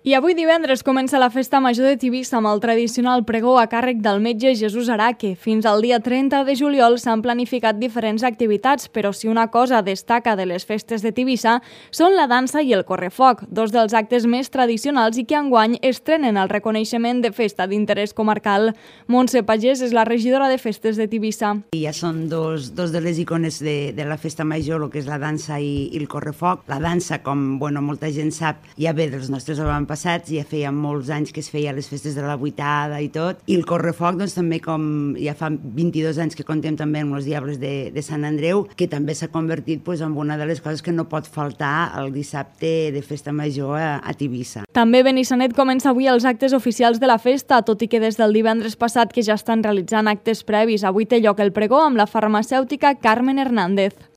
I avui divendres comença la Festa Major de Tivissa amb el tradicional pregó a càrrec del metge Jesús Araque. Fins al dia 30 de juliol s'han planificat diferents activitats, però si una cosa destaca de les festes de Tivissa són la dansa i el correfoc, dos dels actes més tradicionals i que enguany estrenen el reconeixement de festa d'interès comarcal. Montse Pagès és la regidora de festes de Tivissa. Ja són dos de les icones de la Festa Major, el que és la dansa i el correfoc. La dansa, com molta gent sap, ja ve dels nostres avantpassats, ja feia molts anys que es feia les festes de la Vuitada i tot, i el correfoc també, com ja fa 22 anys que contem també amb els Diables de Sant Andreu, que també s'ha convertit en una de les coses que no pot faltar el dissabte de Festa Major a Tivissa. També Benissanet comença avui els actes oficials de la festa, tot i que des del divendres passat que ja estan realitzant actes previs. Avui té lloc el pregó amb la farmacèutica Carmen Hernández.